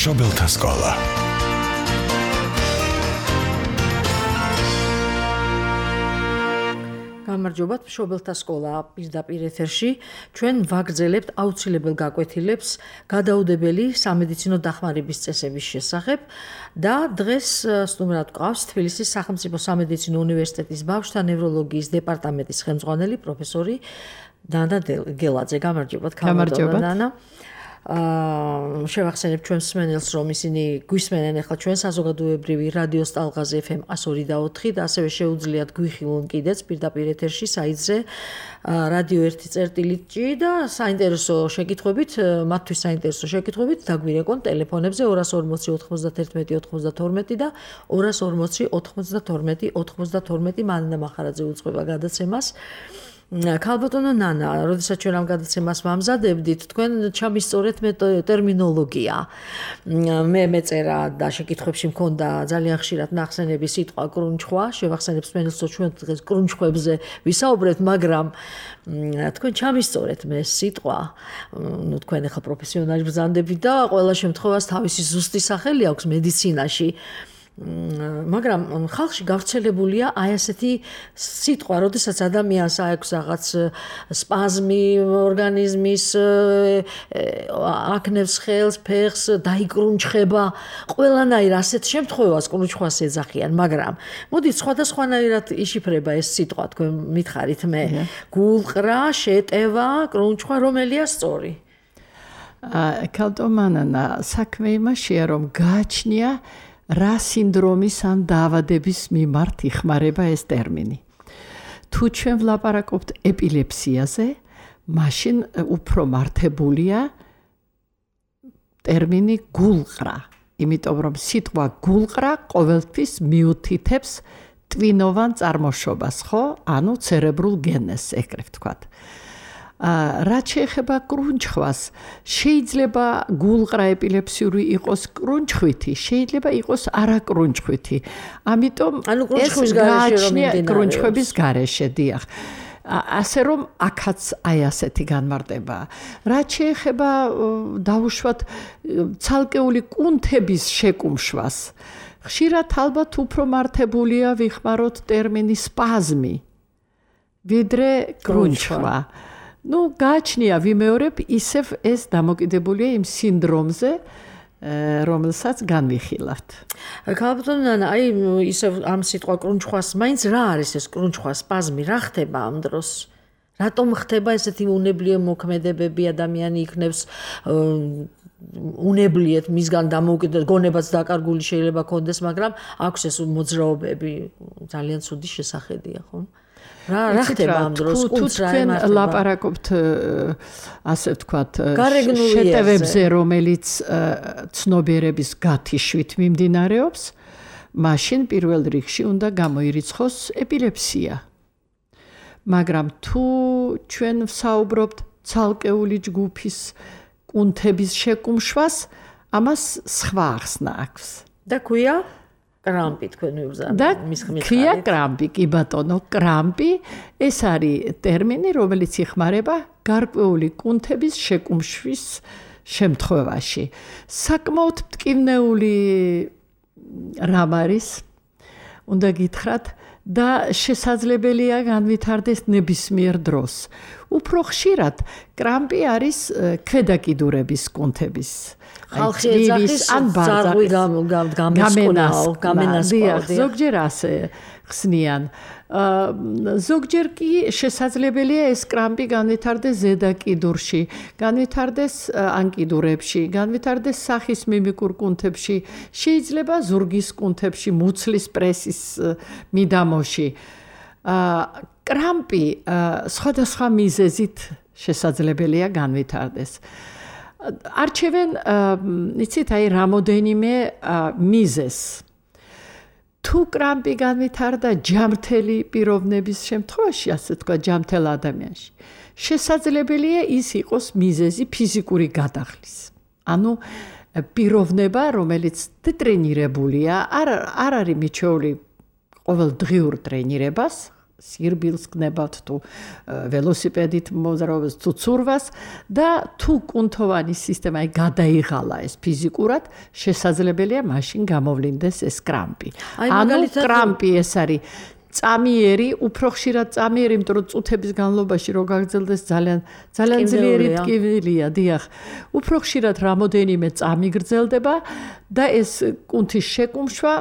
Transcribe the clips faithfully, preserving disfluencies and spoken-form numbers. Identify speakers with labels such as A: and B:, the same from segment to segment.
A: მშობელთა სკოლა.
B: გამარჯობათ, მშობელთა სკოლა პირდაპირ ეთერში. ჩვენ ვაგრძელებთ აუცილებელ გაკვეთილებს გადაუდებელი სამედიცინო დახმარების წესების შესახებ და დღეს სტუმრად გვყავს თბილისის სახელმწიფო სამედიცინო უნივერსიტეტის ბავშვთა ნევროლოგიის დეპარტამენტის ხელმძღვანელი პროფესორი დანა გელაძე. გამარჯობათ,
C: გამარჯობათ.
B: დანა. აა შევახსენებ ჩვენს მსმენელს, რომ ისინი გვისმენენ ახლა ჩვენ საზოგადოებრივი რადიო სტალღაზე ეფ ემ one oh four და ასევე შეუძლიათ გვიხილონ კიდეც პირდაპირ ეთერში საიტზე რადიო one წერტილი და საინტერესო შეკითხვებით, მათთვის საინტერესო შეკითხვებით დაგვირეკონ ტელეფონებზე two forty ninety-one ninety-two და two forty ninety-two ninety-two მანდა მახარაძე უძღვება გადაცემას. ქალბატონო ნანა, როდესაც ჩვენ ამ გადაცემას ვამზადებდით, თქვენ ჩამისწორეთ მე ტერმინოლოგია. მე მეწერა და შეკითხვებში მქონდა ძალიან ხშირად ნახსენები სიტყვა კრუნჩხვა, შევახსენებ მსმენელს, რომ ჩვენ დღეს კრუნჩხვებზე ვისაუბრებთ, მაგრამ თქვენ ჩამისწორეთ მე სიტყვა. ნუ თქვენ ახლა პროფესიონალი ბრძანდებით და ყველა შემთხვევას თავისი ზუსტი სახელი აქვს მედიცინაში. მაგრამ ხალხში გავრცელებულია აი ასეთი სიტყვა, როდესაც ადამიანს აქვს რაღაც სპაზმი ორგანიზმის, აკნევს ხელს, ფეხს, დაიკრუნჩხება, ყველანაირ ასეთ შემთხვევას კრუნჩხვას ეძახიან, მაგრამ მოდით სხვადასხვანაირად იშიფრება ეს სიტყვა, თქვენ მითხარით მე. გულყრა, შეტევა, კრუნჩხვა, რომელია სწორი?
C: ქალტომანანა, საქმე იმაშია, რომ გააჩნია რა სინდრომის ან დაავადების მიმართ იხმარება ეს ტერმინი. თუ ჩვენ ვლაპარაკობთ ეპილეფსიაზე, მაშინ უფრო მართებულია ტერმინი გულყრა, იმიტომ რომ სიტყვა გულყრა ყოველთვის მიუთითებს ტვინოვან წარმოშობას, ხო? ანუ ცერებრულ გენეს, ეგრე ვთქვათ. რაც შეეხება კრუნჩხვას, შეიძლება გულყრა ეპილეფსიური იყოს კრუნჩხვითი, შეიძლება იყოს არაკრუნჩხვითი. ამიტომ ეს გააჩნია კრუნჩხვების გარეშე, დიახ. ასე რომ აქაც აი ასეთი განმარტებაა. რაც შეეხება დავუშვათ ცალკეული კუნთების შეკუმშვას, ხშირად ალბათ უფრო მართებულია ვიხმაროთ ტერმინი სპაზმი, ვიდრე კრუნჩხვა. ნუ გააჩნია ვიმეორებ ისევ ეს დამოკიდებულია იმ სინდრომზე, რომელსაც განვიხილავთ.
B: ქალბატონო ნანა, აი ისევ ამ სიტყვა კრუნჩხვას, მაინც რა არის ეს კრუნჩხვა, სპაზმი, რა ხდება ამ დროს? რატომ ხდება ესეთი უნებლიე მოქმედებები, ადამიანი იქნებს უნებლიეთ მისგან დამოუკიდებლად, გონებაც დაკარგული შეიძლება კონდეს, მაგრამ აქვს ეს მოძრაობები, ძალიან ცუდი შესახედია, ხო? რა რა ხდება ამ დროს?
C: კუნთს რა ემართება? ლაპარაკობთ ასე ვთქვათ შეტევებზე, რომელიც ცნობიერების გათიშვით მიმდინარეობს, მაშინ პირველ რიგში უნდა გამოირიცხოს ეპილეფსია. მაგრამ თუ ჩვენ ვსაუბრობთ ცალკეული ჯგუფის კუნთების შეკუმშვას, ამას სხვა ახსნა აქვს.
B: და ქვია კრამპი, თქვენ ვიბრძანეთ მის ხმით.
C: ქვია კრამპი, კი ბატონო, კრამპი ეს არის ტერმინი, რომელიც იხმარება გარკვეული კუნთების შეკუმშვის შემთხვევაში. საკმაოდ მტკივნეული რამ არის, უნდა გითხრათ და შესაძლებელია განვითარდეს ნებისმიერ დროს. უფრო ხშირად კრამპი არის ქვედაკიდურების კუნთების.
B: ხალხი ეძახის ან ძარღვი გამენასყო, გამენასყო.
C: ზოგჯერ ასე ხსნიან. ზოგჯერ კი შესაძლებელია ეს კრამპი განვითარდეს ზედაკიდურში, განვითარდეს ანკიდურებში, განვითარდეს სახის მიმიკურ კუნთებში, შეიძლება ზურგის კუნთებში, მუცლის პრესის მიდამოში. კრამპი სხვადასხვა მიზეზით შესაძლებელია განვითარდეს. არჩევენ, იცით, აი რამოდენიმე მიზეზს. თუ კრამპი განვითარდა ჯამრთელი პიროვნების შემთხვევაში, ასე თქვა, ჯამრთელ ადამიანში, შესაძლებელია ის იყოს მიზეზი ფიზიკური გადახლის. ანუ პიროვნება, რომელიც ტრენირებულია, არ არ არის მიჩეული ყოველდღიურ ტრენირებას, სირბილს გნებავთ თუ ველოსიპედით მოზროვებს თუ ცურვას და თუ კუნთოვანი სისტემა აი გადაიღალა ეს ფიზიკურად შესაძლებელია მაშინ გამოვლინდეს ეს კრამპი. ანუ კრამპი ეს არის წამიერი, უფრო ხშირად წამიერი, იმიტომ რომ წუთების განმავლობაში რო გაგრძელდეს ძალიან ძალიან ძლიერი ტკივილია, დიახ. უფრო ხშირად რამოდენიმე წამი გრძელდება და ეს კუნთის შეკუმშვა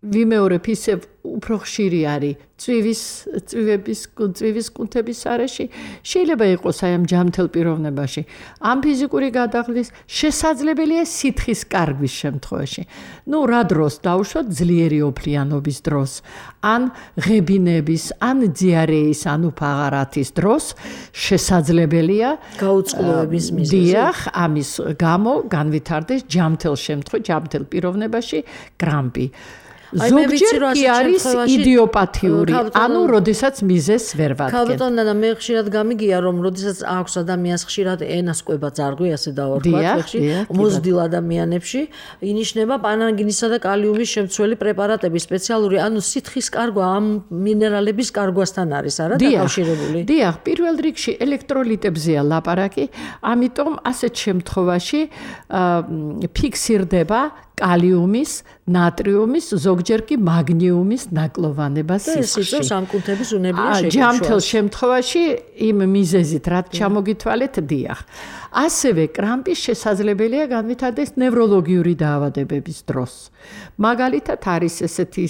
C: ვიმეორებ ისევ უფრო ხშირი არის წვივის წვივების წვივის კუნთების არეში შეიძლება იყოს აი ამ ჯამთელ პიროვნებაში ამ ფიზიკური გადაღლის შესაძლებელია სითხის კარგვის შემთხვევაში ну რა დროს დავუშვათ ძლიერი ოფლიანობის დროს ან ღებინების ან დიარეის ან უფაღარათის დროს შესაძლებელია
B: გაუწყლოების მიზეზი
C: დიახ ამის გამო განვითარდეს ჯამთელ შემთხვევაში ჯამთელ პიროვნებაში კრამპი ზოგჯერ კი არის იდიოპათიური, ანუ როდესაც მიზეს ვერ ვადგენთ.
B: ქალბატონო და მე ხშირად გამიგია რომ როდესაც აქვს ადამიანს ხშირად ენას კვება ძარღვი, ასე დავარქვათ, ხში მოზრდილ ადამიანებში ინიშნება პანანგინისა და კალიუმის შემცველი პრეპარატები სპეციალური, ანუ სითხის კარგვა ამ მინერალების კარგვასთან არის, არა დაკავშირებული?
C: დიახ, პირველ რიგში ელექტროლიტებზეა ლაპარაკი, ამიტომ ასეთ შემთხვევაში ფიქსირდება კალიუმის, ნატრიუმის, ზოგჯერ კი მაგნიუმის ნაკლოვანება სისხლში.
B: ეს ამ კუნთების უნებლიე შეკუმშვა.
C: ჯამთელ შემთხვევაში იმ მიზეზით რაც ჩამოგითვალეთ, დიახ. ასევე კრამპი შესაძლებელია განვითარდეს ნევროლოგიური დაავადებების დროს. მაგალითად არის ესეთი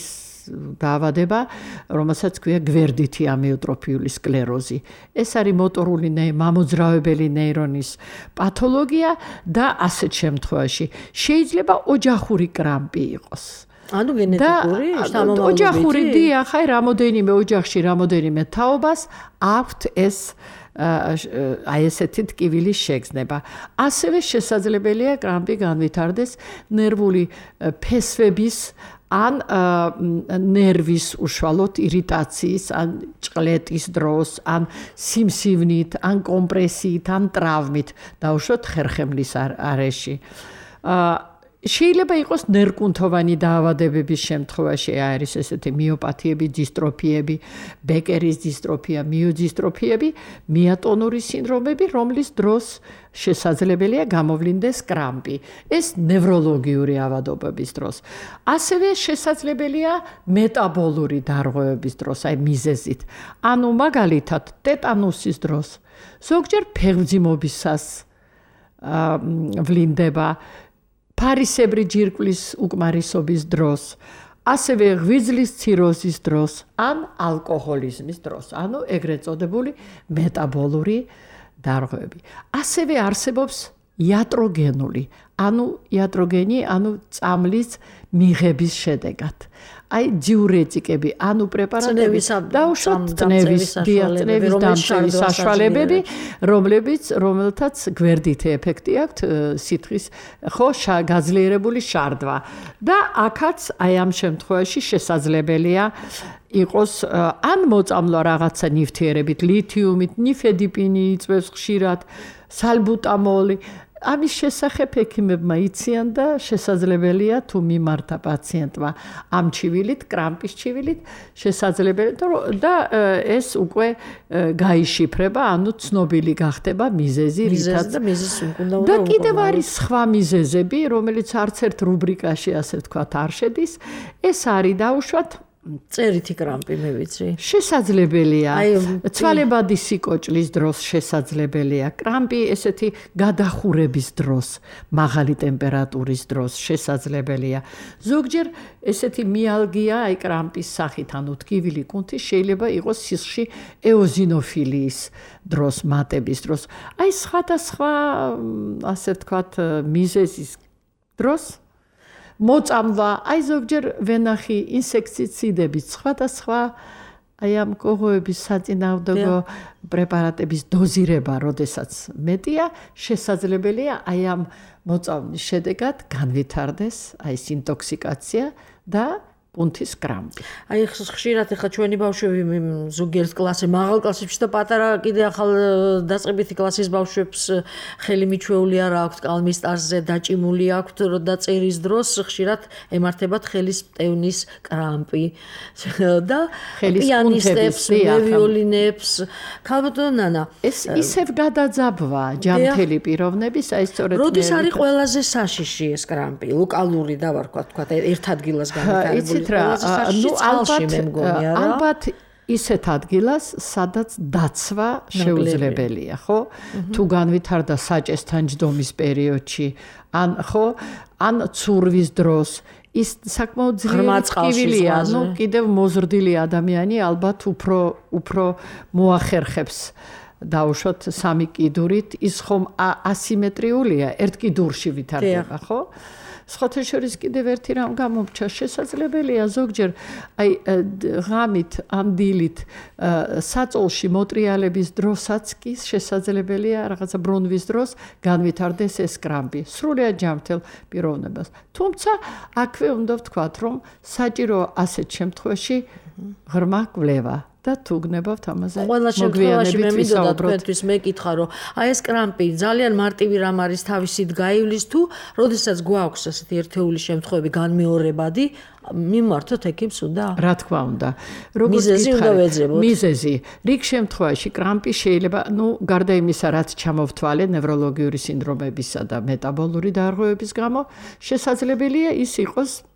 C: დაავადება, რომელსაც ქვია გვერდითი ამიოტროფიული სკლეროზი. ეს არის მოტორული მამოძრავებელი ნეირონის პათოლოგია და ასეთ შემთხვევაში შეიძლება ოჯახური კრამპი იყოს.
B: ანუ გენეტიკური შთამომავლობითი?
C: ოჯახური დიახ, აი რამოდენიმე ოჯახში რამოდენიმე თაობას აქვთ ეს აი ესეთი ტკივილის შეგრძნება. ასევე შესაძლებელია კრამპი განვითარდეს ნერვული ფესვების ან ნერვის უშუალოდ ირიტაციის, ან ჭყლეტის დროს, ან სიმსივნით, ან კომპრესიით, ან ტრავმით, დაუშვათ ხერხემლის არეში. შეიძლება იყოს ნერკუნთოვანი დაავადებების შემთხვევაში არის ესეთი მიოპათიები, დისტროფიები, ბეკერის დისტროფია, მიოდისტროფიები, მიატონური სინდრომები, რომლის დროს შესაძლებელია გამოვლინდეს კრამპი. ეს ნევროლოგიური ავადობების დროს. ასევე შესაძლებელია მეტაბოლური დარღვევების დროს, აი მიზეზით. ანუ მაგალითად, ტეტანუსის დროს, ზოგჯერ ფეხმძიმობისას ვლინდება ფარისებრი ჯირკვლის უკმარისობის დროს, ასევე ღვიძლის ციროზის დროს, ან ალკოჰოლიზმის დროს, ანუ ეგრეთ წოდებული მეტაბოლური დარღვევები. ასევე არსებობს იატროგენული, ანუ იატროგენი, ანუ წამლის მიღების შედეგად. აი დიურეტიკები, ანუ პრეპარატები, დაუშვათ წნევის დიაწნევის დამცველის საშუალებები, რომლებიც რომელთაც გვერდითი ეფექტი აქვთ სითხის ხო გაძლიერებული შარდვა. და აქაც აი ამ შემთხვევაში შესაძლებელია იყოს ან მოწამვლა რაღაცა ნივთიერებით, ლითიუმით, ნიფედიპინი იწვევს ხშირად, სალბუტამოლი. ამის შესახებ ექიმებმა იციან და შესაძლებელია თუ მიმართა პაციენტმა ამ ჩივილით, კრამპის ჩივილით, შესაძლებელია და ეს უკვე გაიშიფრება, ანუ ცნობილი გახდება მიზეზი, რითაც
B: და მიზეზს უნდა
C: და კიდევ არის სხვა მიზეზები, რომელიც არც ერთ რუბრიკაში ასე ვთქვათ არ შედის. ეს არის დაუშვათ
B: წერითი კრამპი მე ვიცი.
C: შესაძლებელია. ცვალებადი სიკოჭლის დროს შესაძლებელია. კრამპი ესეთი გადახურების დროს, მაღალი ტემპერატურის დროს შესაძლებელია. ზოგჯერ ესეთი მიალგია, აი კრამპის სახით, ანუ ტკივილი კუნთი შეიძლება იყოს სისხლში ეოზინოფილიის დროს, მატების დროს. აი სხვადასხვა ასე ვთქვათ მიზეზის დროს მოწამვლა, აი ზოგჯერ ვენახი ინსექტიციდების სხვადასხვა აი ამ კოღოების საწინააღმდეგო პრეპარატების დოზირება, როდესაც მეტია, შესაძლებელია აი ამ მოწამვლის შედეგად განვითარდეს აი ეს ინტოქსიკაცია და კუნთის კრამპი.
B: აი ხშირად ახლა ჩვენი ბავშვები ზოგიერთ კლასზე, მაღალ კლასებში და პატარა კიდე ახალ დაწყებითი კლასის ბავშვებს ხელი მიჩვეული არ აქვთ კალმის ტარზე დაჭიმული აქვთ და წერის დროს ხშირად ემართებათ ხელის მტევნის კრამპი და პიანისტებს, ვიოლინებს. ქალბატონო ნანა,
C: ეს ისევ გადაძაბვა ჯანმრთელი პიროვნების, აი სწორედ
B: როდის არის ყველაზე საშიში ეს კრამპი? ლოკალური დავარქვათ, თქვა ერთ ადგილას განვითარებული.
C: ნუ ალბათ ალბათ ისეთ ადგილას, სადაც დაცვა შეუძლებელია, ხო? თუ განვითარდა საჭესთან ჯდომის პერიოდში, ან ხო, ან ცურვის დროს ის საკმაოდ ძლიერი, ну, კიდევ მოზრდილი ადამიანი ალბათ უფრო უფრო მოახერხებს დაუშვოთ სამი კიდურით, ის ხომ ასიმეტრიულია, ერთ კიდურში ვითარდება, ხო? სხვათა შორის კიდევ ერთი რამ გამომრჩა, შესაძლებელია ზოგჯერ აი ღამით ან დილით საწოლში მოტრიალების დროსაც კი შესაძლებელია რაღაცა ბრუნვის დროს განვითარდეს ეს კრამპი, სრულიად ჯანმრთელ პიროვნებას. თუმცა აქვე უნდა ვთქვათ, რომ საჭიროა ასეთ შემთხვევაში ღრმა კვლევა. და თუ გნებავთ ამაზე მოგვიანებით ვისაუბროთ.
B: თქვენთვის მეკითხა, რომ აი ეს კრამპი ძალიან მარტივი რამ არის თავისით გაივლის თუ, როდესაც გვაქვს ასეთი ერთეული შემთხვევები განმეორებადი, მიმართოთ ექიმს უნდა?
C: რა თქმა უნდა.
B: მიზეზი უნდა ვეძებოთ.
C: მიზეზი. რიგ შემთხვევაში კრამპი შეიძლება, ну, გარდა იმისა, რაც ჩამოვთვალე ნევროლოგიური სინდრომებისა და მეტაბოლური დარღვევების გამო, შესაძლებელია ის იყოს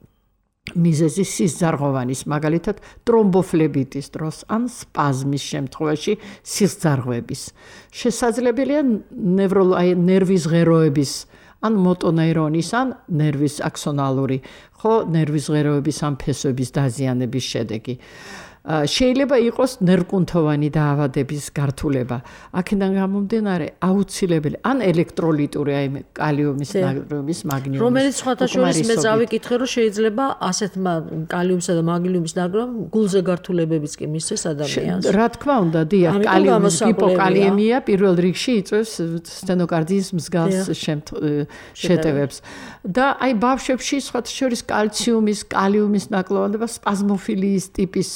C: მიზეზი სისძარღვოვანის, მაგალითად ტრომბოფლებიტის დროს ან სპაზმის შემთხვევაში სისძარღვების. შესაძლებელია ნევროლოგი ნერვის ღეროების ან მოტონეირონის ან ნერვის აქსონალური, ხო, ნერვის ღეროების ან ფესვების დაზიანების შედეგი. შეიძლება იყოს ნერვკუნთოვანი დაავადების გართულება. აქედან გამომდინარე აუცილებელი ან ელექტროლიტური, აი კალიუმის, ნატრიუმის, მაგნიუმის.
B: რომელიც სხვათა შორის მე წავიკითხე, რომ შეიძლება ასეთ კალიუმსა და მაგნიუმის ნატრიუმ გულზე გართულებებიც კი მისცეს ადამიანს.
C: რა თქმა უნდა, დიახ, კალიუმის ჰიპოკალიემია პირველ რიგში იწვევს სტენოკარდიის მსგავს შეტევებს. და აი ბავშვებში სხვათა შორის კალციუმის, კალიუმის ნაკლოვანება სპაზმოფილიის ტიპის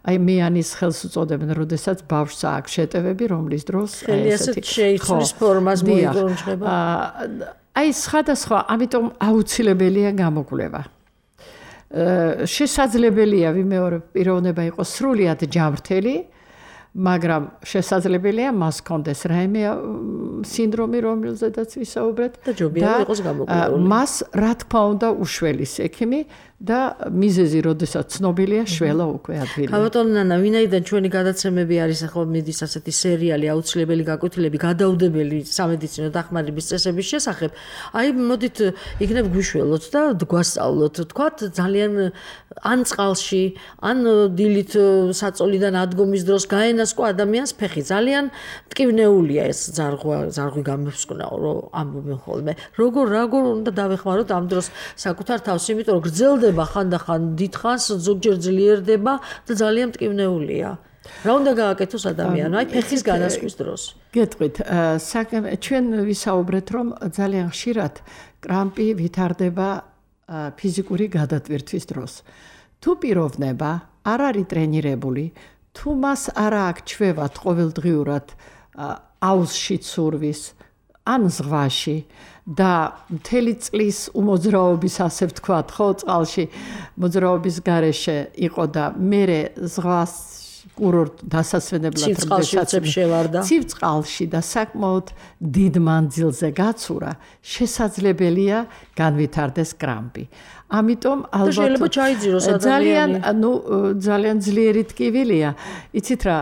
C: აი მეანის ხელს უწოდებენ, როდესაც ბავშვს აქვს შეტევები, რომლის დროს
B: აი ესეთი შეიცვლის ფორმას მოიგონჭება.
C: აი სხვადასხვა, ამიტომ აუცილებელია გამოკვლევა. შესაძლებელია ვიმეორებ პიროვნება იყოს სრულიად ჯანმრთელი, მაგრამ შესაძლებელია მას კონდეს რაიმე სინდრომი, რომელზედაც ვისაუბრეთ
B: და ჯობია იყოს გამოკვლეული.
C: მას რა თქმა უნდა უშველის ექიმი და მიზეზი, როდესაც ცნობილია, შველა უკვე ადვილი.
B: ქალბატონო ნანა, ვინაიდან ჩვენი გადაცემები არის ახლა მიდის ასეთი სერიალი აუცილებელი გაკვეთილები, გადაუდებელი სამედიცინო დახმარების წესების შესახებ, აი მოდით იქნებ გვიშველოთ და გვასწავლოთ, თქვათ ძალიან ან წყალში, ან დილით საწოლიდან ადგომის დროს გაენასკო ადამიანს ფეხი, ძალიან მტკივნეულია ეს ზარღვა, ზარღვი გამოსკვნაო, რომ ამბობენ ხოლმე. როგორ როგორ უნდა დავეხმაროთ ამ დროს საკუთარ თავს, იმიტომ რომ გრძელდება ხანდახან დიდხანს, ზოგჯერ ძლიერდება და ძალიან მტკივნეულია. რა უნდა გააკეთოს ადამიანმა აი ფეხის განასკვის დროს?
C: გეტყვით, ჩვენ ვისაუბრეთ, რომ ძალიან ხშირად კრამპი ვითარდება ფიზიკური გადატვირთვის დროს. თუ პიროვნება არ არის ტრენირებული, თუ მას არ აქვს ჩვევად ყოველდღიურად აუზში ცურვის ან ზღვაში და მთელი წლის უმოძრაობის, ასე ვთქვათ, ხო, წყალში მოძრაობის გარეშე იყო და მერე ზღვას კურორტ დასასვენებლად
B: შევარდა.
C: ცივ წყალში და საკმაოდ დიდ მანძილზე გაცურა, შესაძლებელია განვითარდეს კრამპი. ამიტომ ალბათ
B: შეიძლება ჩაიძიროს ადამიანი.
C: ძალიან, ну, ძალიან ძლიერი ტკივილია. იცით რა,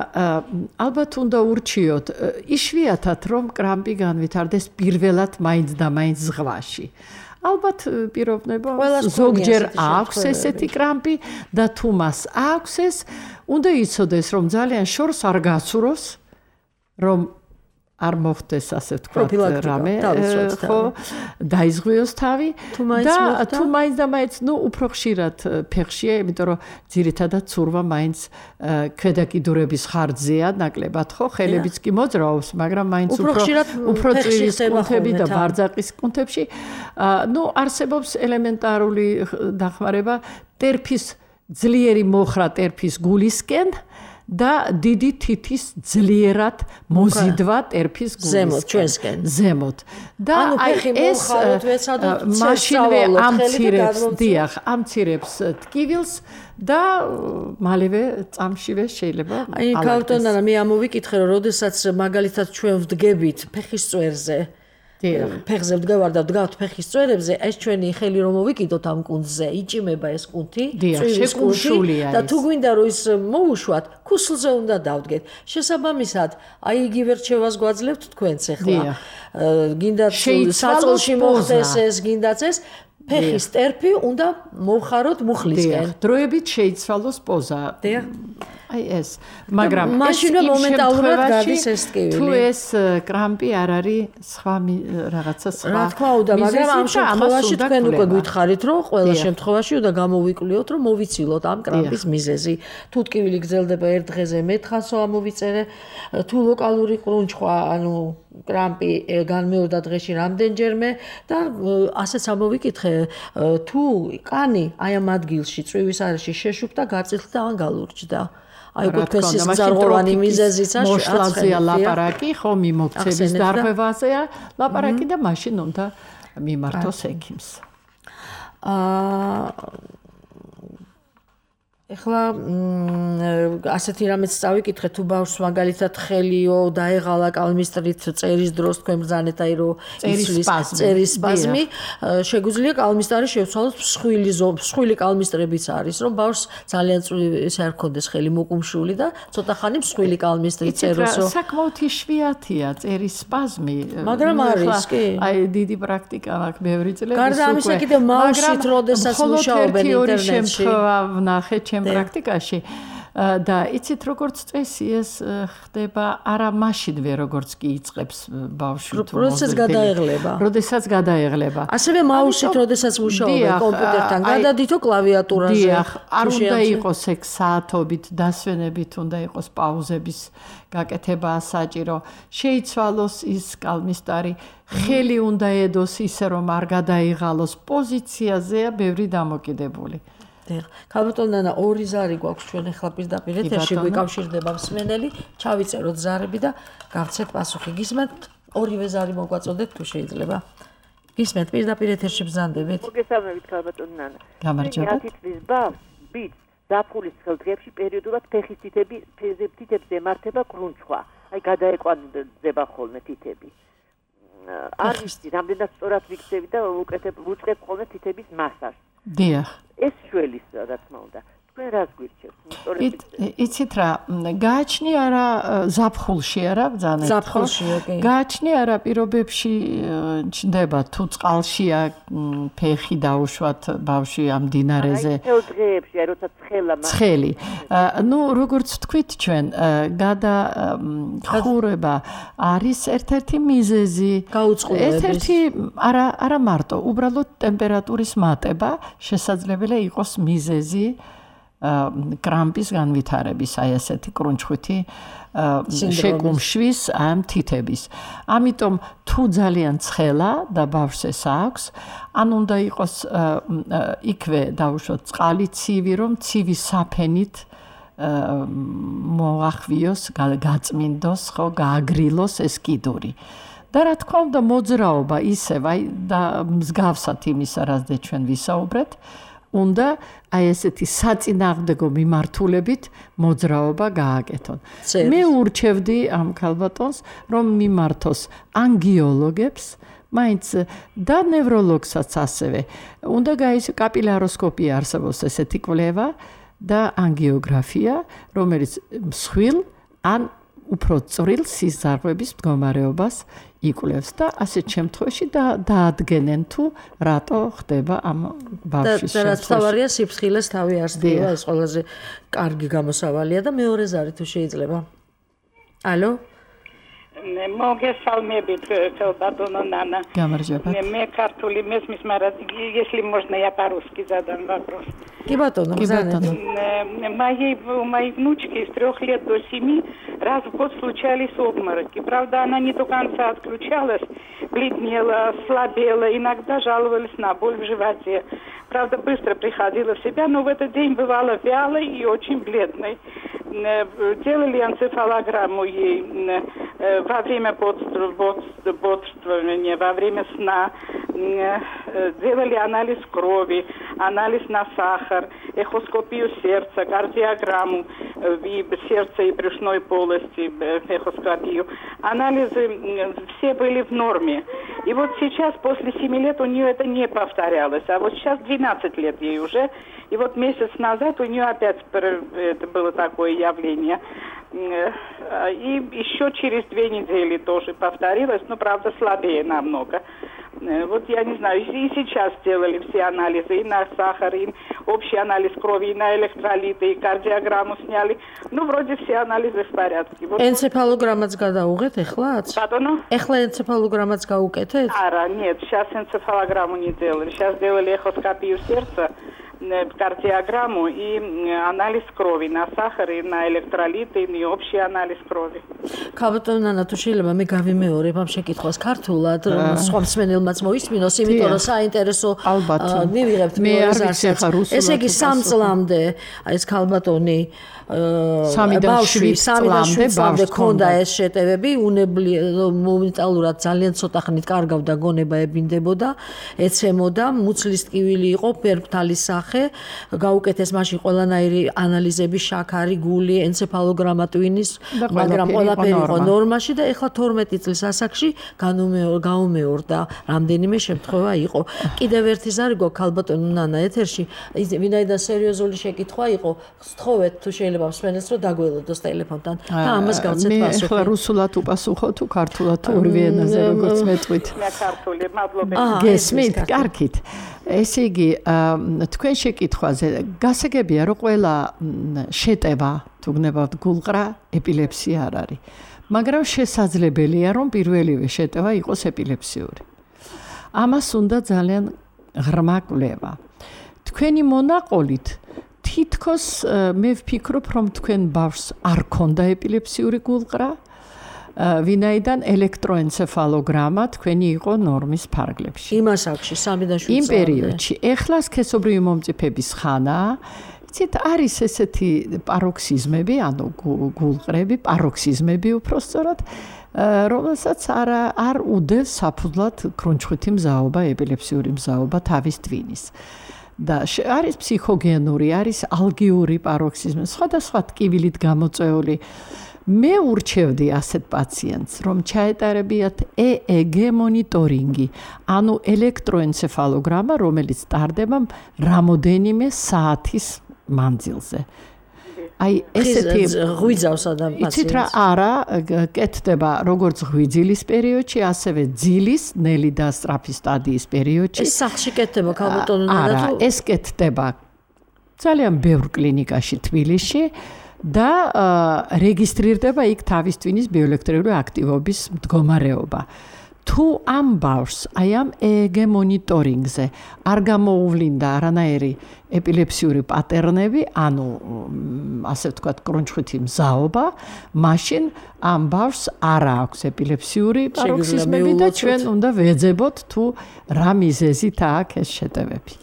C: ალბათ უნდა ურჩიოთ იშვიათად რომ კრამპი განვითარდეს პირველად მაინც და მაინც ზღვაში. ალბათ პიროვნება ზოგჯერ აქვს ესეთი კრამპი და თუ მას აქვს ეს, უნდა იცოდეს რომ ძალიან შორს არ გაცუროს, რომ არ მოხდეს ასე ვთქვათ რამე, ხო, დაიზღვიოს თავი და თუ მაინც და მაინც, ну, უფრო ხშირად ფეხშია, იმიტომ რომ ძირითადად ცურვა მაინც ქვედა კიდურების ხარჯზეა ნაკლებად, ხო, ხელებიც კი მოძრაობს, მაგრამ მაინც უფრო უფრო წივის კუნთები და ბარძაყის კუნთებში, ну, არსებობს ელემენტარული დახმარება ტერფის ძლიერი მოხრა ტერფის გულისკენ და დიდი თითის ძლიერად მოზიდვა ტერფის გულისკენ ზემოთ და აი ეს მაშინვე ამცირებს დიახ ამცირებს ტკივილს და მალევე წამშივე შეიძლება
B: აი ქავტონანა მე ამოვიკითხე რომ როდესაც მაგალითად ჩვენ ვდგებით ფეხის წვერზე ფეხზე ვდგავარ და ვდგავთ ფეხის წვერებზე ეს ჩვენი ხელი რომ მოვიკიდოთ ამ კუნძზე იჭიმება ეს კუნთი წვივის კუნთი და თუ გვინდა რომ ის მოუშვათ ქუსლზე უნდა დავდგეთ შესაბამისად აი იგივე რჩევას გვაძლევთ თქვენც ახლა გინდათ საწოლში მოხდეს ეს გინდაც ეს ფეხის ტერფი უნდა მოვხაროთ მუხლისკენ
C: დროებით შეიცვალოს პოზა აი ეს მაგრამ
B: მაშინვე მომენტალურად გადის ეს ტკივილი
C: თუ ეს კრამპი არ არის სხვა რაღაცა სხვა
B: რა თქმა უნდა მაგრამ ამ შემთხვევაში თქვენ უკვე გითხარით რომ ყველა შემთხვევაში უნდა გამოვიკვლიოთ რომ მოვიცილოთ ამ კრამპის მიზეზი თუ ტკივილი გრძელდება ერთ დღეზე მეტხანსო ამოვიწერე თუ ლოკალური ყრუნჩხვა ანუ კრამპი განმეორდა დღეში რამდენჯერმე და ასეც ამოვიკითხე თუ კანი აი ამ ადგილში წვივის არეში შეშუქდა გაწილხდა ან გალურჯდა აი უკვე თქვენს ის ზარღოვანი მიზეზიც
C: მოშლაზეა ლაპარაკი ხო მიმოქცევის დარღვევაზეა ლაპარაკი და მაშინ უნდა მიმართოს ექიმს
B: აა ეხლა ასეთი რამეც წავიკითხე თუ ბავშვს მაგალითად ხელიო დაეღალა კალმისტრით წერის დროს თქვენ ბრძანეთ აი რომ იცვლის წერის სპაზმი შეგვიძლია კალმისტარი შევცვალოთ მსხვილი მსხვილი კალმისტრებიც არის რომ ბავშვს ძალიან ესე არ ქონდეს ხელი მოკუმშული და ცოტა ხანი მსხვილი კალმისტრით წეროსო
C: საკმაოდ იშვიათია წერის სპაზმი
B: მაგრამ არის კი
C: აი დიდი პრაქტიკა აქვს ბევრი წლების უკვე
B: გარდა ამისა კიდევ მაუსით როდესაც მუშაობენ ინტერნეტში
C: ვნახე პრაქტიკაში და იცით როგორც წესი ეს ხდება არა მაშინვე როგორც კი იწყებს ბავშვი თუ
B: როდესაც გადაეღლება
C: როდესაც გადაეღლება
B: ასევე მაუსით როდესაც მუშაობენ კომპიუტერთან გადადითო კლავიატურაზე
C: დიახ არ უნდა იყოს ეგ საათობით დასვენებით უნდა იყოს პაუზების გაკეთება საჭირო შეიცვალოს ის კალმისტარი ხელი უნდა ედოს ისე რომ არ გადაიღალოს პოზიციაზეა ბევრი დამოკიდებული
B: ქალბატონანა ორი ზარი გვაქვს ჩვენ ახლა პირდაპირ ეთერში გვიკავშირდება მსმენელი ჩავიწეროთ ზარები და გავცეთ პასუხი გისმენთ ორივე ზარი მოგვაწოდეთ თუ შეიძლება გისმენთ პირდაპირ ეთერში ბრძანდებით
A: მოგესალმებით ქალბატონანა
C: გამარჯობა
A: ათი წლის ბავშვს ბიჭს ზაფხულის ხელდღეებში პერიოდულად ფეხის თითები თითებს ემართება კრუნჩხვა აი გადაეკვანდება ხოლმე თითები არ ვიცი რამდენად სწორად ვიქცევი და უკეთებ ვუწყებ ხოლმე თითების მასაჟს
C: დიახ
A: ეს შველის რა თქმა უნდა თქვენ რას გვირჩევთ
C: იცით რა გააჩნი არა ზაფხულში არა ბძანეთ
B: ზაფხულშია კი
C: გააჩნი არა პირობებში ჩნდება თუ წყალშია ფეხი დაუშვათ ბავშვი ამ დინარეზე
A: აი დღეებში აი როცა ცხელა
C: ცხელი ნუ როგორც თქვით ჩვენ გადა ხურება არის ერთ-ერთი მიზეზი
B: გაუწყლოების
C: ერთ-ერთი არა არა მარტო უბრალოდ ტემპერატურის მატება შესაძლებელია იყოს მიზეზი კრამპის განვითარების აი ესეთი კრუნჩხვითი შეკუმშვის ამ თითების. ამიტომ თუ ძალიან ცხელა და ბავშვს ეს აქვს, ან უნდა იყოს იქვე დაუშვოთ წყალი ცივი, რომ ცივი საფენით მოახვიოს, გაწმინდოს, ხო, გააგრილოს ეს კიდური. და რა თქმა უნდა მოძრაობა ისევ აი და მსგავსად იმისა, რაზე ჩვენ ვისაუბრეთ, უნდა აი ესეთი საწინააღმდეგო მიმართულებით მოძრაობა გააკეთონ. მე ურჩევდი ამ ქალბატონს, რომ მიმართოს ანგიოლოგებს, მაინც და ნევროლოგსაც ასევე. უნდა გაის კაპილაროსკოპია არსებობს ესეთი კვლევა და ანგიოგრაფია, რომელიც მსხვილ ან უფრო წვრილ სიზარღვების მდგომარეობას იკვლევს და ასეთ შემთხვევაში დაადგენენ თუ რატო ხდება ამ ბავშვის
B: შემთხვევაში. და რაც თავარია სიფრთხილეს თავი არსდება, ეს ყველაზე კარგი გამოსავალია და მეორე зარი თუ შეიძლება. ალო?
D: Могесалмебит, Бадона Нана.
C: Me
D: картули месмис марат, если можно, я по-русски задам вопрос.
B: Кибатона,
C: Кибатона.
D: Моей, у моей внучки с трех лет до семи раз в год случались обмороки. Правда, она не до конца отключалась, бледнела, слабела, иногда жаловались на боль в животе. правда, быстро приходила в себя, но в этот день бывала вялой и очень бледной. Делали энцефалограмму ей во время бодрствования, во время сна, делали анализ крови, анализ на сахар, эхоскопию сердца, кардиограмму и сердца и брюшной полости, эхоскопию. Анализы все были в норме. И вот сейчас, после семи лет, у нее это не повторялось. А вот сейчас двенадцать лет ей уже. И вот месяц назад у нее опять это было такое явление. И еще через две недели тоже повторилось, но, правда, слабее намного. Вот я не знаю, и сейчас сделали все анализы, и на сахар, и общий анализ крови, и на электролиты, и кардиограмму сняли. Ну, вроде все анализы в порядке. Вот...
B: Энцефалограммац გადაუღეთ ეხლაც?
D: Пардон?
B: Ეხლა энцефалограммац გაუკეთეთ?
D: Ара, нет, сейчас энцефалограмму не делали. Сейчас делали эхоскопию сердца, кардиограмму и анализ крови на сахар, и на электролиты, и общий анализ крови.
B: Ქალბატონო ნანა, თუ შეიძლება მე გავიმეორებ ამ შეკითხვას ქართულად, სხვა მსმენელმაც მოისმინოს, იმიტომ რომ საინტერესო მივიღებთ მეორე ზარსაც. ესე იგი სამ წლამდე ეს ქალბატონი
C: სამიდან შვიდ
B: წლამდე ქონდა ეს შეტევები, უნებლიე მომენტალურად ძალიან ცოტა ხნით კარგავდა გონება, ებინდებოდა, ეცემოდა, მუცლის ტკივილი იყო, ფერფთალის სახე, გაუკეთეს მაშინ ყველანაირი ანალიზები, შაქარი, გული, ენცეფალოგრამა ტვინის, მაგრამ ყველაფერი იყო ნორმაში და ეხლა თორმეტი წლის ასაკში გაუმეორდა, რამდენიმე შემთხვევა იყო. კიდევ ერთი ზარი გვაქვს ქალბატონო ნანა ეთერში, ვინაიდან სერიოზული შეკითხვა იყო, სთხოვეთ თუ შეიძლება მსმენელს რომ დაგველოდოს ტელეფონთან და ამას გავცეთ პასუხი.
C: მე ახლა რუსულად უპასუხო თუ ქართულად თუ ორივე ენაზე როგორც მეტყვით.
D: მე ქართული, მადლობა.
C: გესმით, კარგით. ესე იგი, თქვენ შეკითხვაზე გასაგებია რომ ყველა შეტევა თუ გნებავთ გულყრა ეპილეფსია არ არის. მაგრამ შესაძლებელია რომ პირველივე შეტევა იყოს ეპილეფსიური. ამას უნდა ძალიან ღრმა კვლევა. თქვენი მონაყოლით თითქოს მე ვფიქრობ რომ თქვენ ბავშვს არ ქონდა ეპილეფსიური გულყრა, ვინაიდან ელექტროენცეფალოგრამა თქვენი იყო ნორმის ფარგლებში.
B: იმ ასაკში სამიდან შვიდ
C: იმ პერიოდში ეხლა სქესობრივი მომწიფების ხანაა. იცით, არის ესეთი პაროქსიზმები, ანუ გულყრები, პაროქსიზმები უпростоრად, რომელსაც არ არ უდევს საფუძვლად ქრუნჩხვითი მზაობა, ეპილეფსიური მზაობა თავის ტვინის. და არის ფსიქოგენური, არის ალგიური პაროქსიზმი, სხვადასხვა ტკივილით გამოწვეული. მე ურჩევდი ასეთ პაციენტს, რომ ჩაეტარებიათ ე ე გე მონიტორინგი, ანუ ელექტროენცეფალოგრამა, რომელიც ტარდება რამოდენიმე საათის მანძილზე. აი ესეთი
B: ღვიძავს ადამიანს.
C: იცით რა, არა, კეთდება როგორც ღვიძილის პერიოდში, ასევე ძილის, ნელი და სწრაფი სტადიის პერიოდში.
B: ეს სახლში კეთდება ქალბატონო ნანა თუ?
C: არა, ეს კეთდება ძალიან ბევრ კლინიკაში თბილისში. და რეგისტრირდება იქ თავის ტვინის ბიოელექტრიული აქტივობის მდგომარეობა. თუ ამ ბავშვს აი ამ ე ე გე მონიტორინგზე არ გამოუვლინდა არანაირი ეპილეფსიური პატერნები, ანუ ასე ვთქვათ, კრუნჩხვითი მზაობა, მაშინ ამ ბავშვს არ აქვს ეპილეფსიური პაროქსიზმები და ჩვენ უნდა ვეძებოთ თუ რა მიზეზით აქვს ეს შეტევები.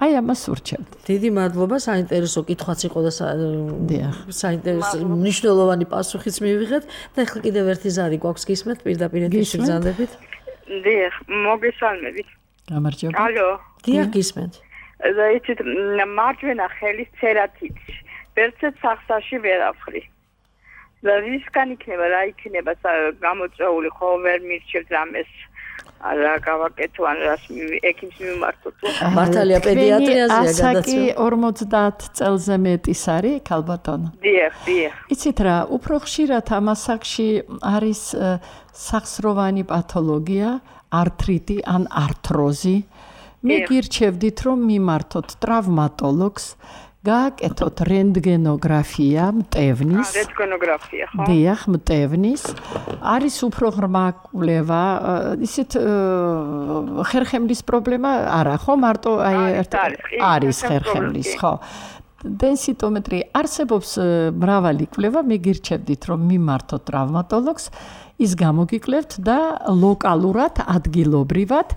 C: აი ამას ურჩევთ.
B: დიდი მადლობა, საინტერესო კითხვაც იყო და საინტერესო მნიშვნელოვანი პასუხიც მივიღეთ და ახლა კიდევ ერთი ზარი გვაქვს გისმენთ პირდაპირ ეთერში ბრძანდებით.
E: დიახ, მოგესალმებით.
C: გამარჯობა.
E: ალო.
B: დიახ, გისმენთ.
E: და იცით, მარჯვენა ხელის ცერატიტი. ვერცეთ სახსაში ვერაფხრი. და რისკან იქნება, რა იქნება გამოწვეული, ხო ვერ მირჩევთ რამეს. არა გავაკეთო ან რას ექიმს მიმართოთ.
B: მართალია პედიატრიაზეა გადაცემა.
C: ასაკი ორმოცდაათ წელზე მეტის არის ქალბატონო.
E: დიახ, დიახ.
C: იცით რა, უფრო ხშირად ამ ასაკში არის სახსროვანი პათოლოგია, ართრიტი ან ართროზი. მე გირჩევდით რომ მიმართოთ ტრავმატოლოგს, გააკეთოთ რენტგენოგრაფია მტევნის.
E: აა, რენტგენოგრაფია, ხო?
C: დიახ, მტევნის. არის უფრო ღრმა კვლევა, ისეთ ხერხემლის პრობლემა არა, ხო? მარტო აი არის ხერხემლის, ხო? Densitometri არსებობს მრავალი კვლევა, მიგირჩევდით რომ მიმართოთ ტრავმატოლოგს, ის გამოგიკლებთ და ლოკალურად, ადგილობრივად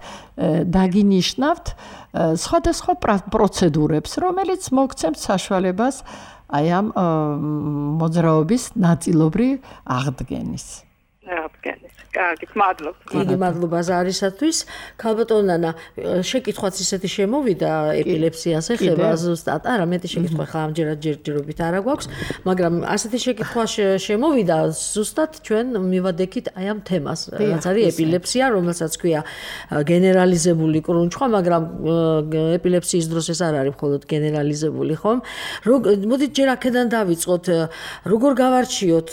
C: დაგინიშნავთ სხვადასხვა პროცედურებს, რომელიც მოგცემთ საშუალებას აი ამ მოძრაობის ნაწილობრივ აღდგენის.
E: აღდგენის. კარგი, მადლობთ.
B: დიდი მადლობა ზარისათვის. ქალბატონ ნანა, შეკითხვაც ისეთი შემოვიდა ეპილეფსიას ეხება ზუსტად. არა, მეტი შეკითხვა ხა ამჯერად ჯერჯერობით არ აქვს, მაგრამ ასეთი შეკითხვა შემოვიდა ზუსტად ჩვენ მივადექით აი ამ თემას, რაც არის ეპილეფსია, რომელსაც ქვია გენერალიზებული კრუნჩხვა, მაგრამ ეპილეფსიის დროს ეს არ არის მხოლოდ გენერალიზებული, ხომ? მოდით ჯერ აქედან დავიწყოთ, როგორ გავარჩიოთ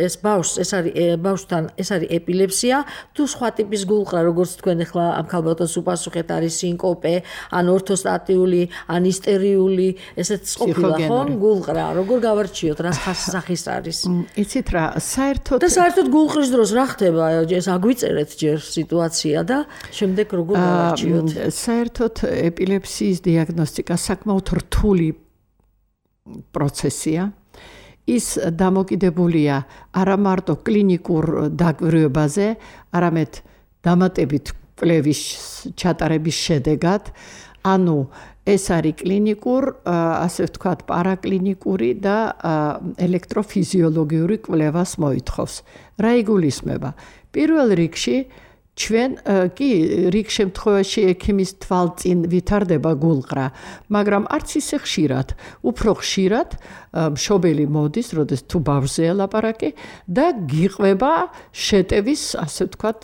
B: ეს ბავშვს, ეს არის ბავშვთან, ეს არის ეპილეფსია, თუ სხვა ტიპის გულყრა, როგორც თქვენ ახლა ამ ქალბატონს უპასუხეთ, არის სინკოპე, ან ორთოსტატიული, ან ისტერიული, ესეც ყოფილა ხომ გულყრა, როგორ გავარჩიოთ, რა სახის არის?
C: იცით რა, საერთოდ
B: და საერთოდ გულყრის დროს რა ხდება? ეს აგვიწერეთ ჯერ სიტუაცია და შემდეგ როგორ გავარჩიოთ?
C: საერთოდ ეპილეფსიის დიაგნოსტიკა საკმაოდ რთული პროცესია. ის დამოკიდებულია არა მარტო კლინიკურ დაკვირვებაზე, არამედ დამატებით კვლევის ჩატარების შედეგად, ანუ ეს არის კლინიკურ, ასე ვთქვათ, პარაკლინიკური და ელექტროფიზიოლოგიური კვლევას მოითხოვს. რა იგულისხმება? პირველ რიგში ჩვენ კი რიგ შემთხვევაში ექიმის თვალწინ ვითარდება გულყრა, მაგრამ არც ისე ხშირად, უფრო ხშირად მშობელი მოდის, როდეს თუ ბავშვზეა ლაპარაკი და გიყვება შეტევის, ასე ვთქვათ,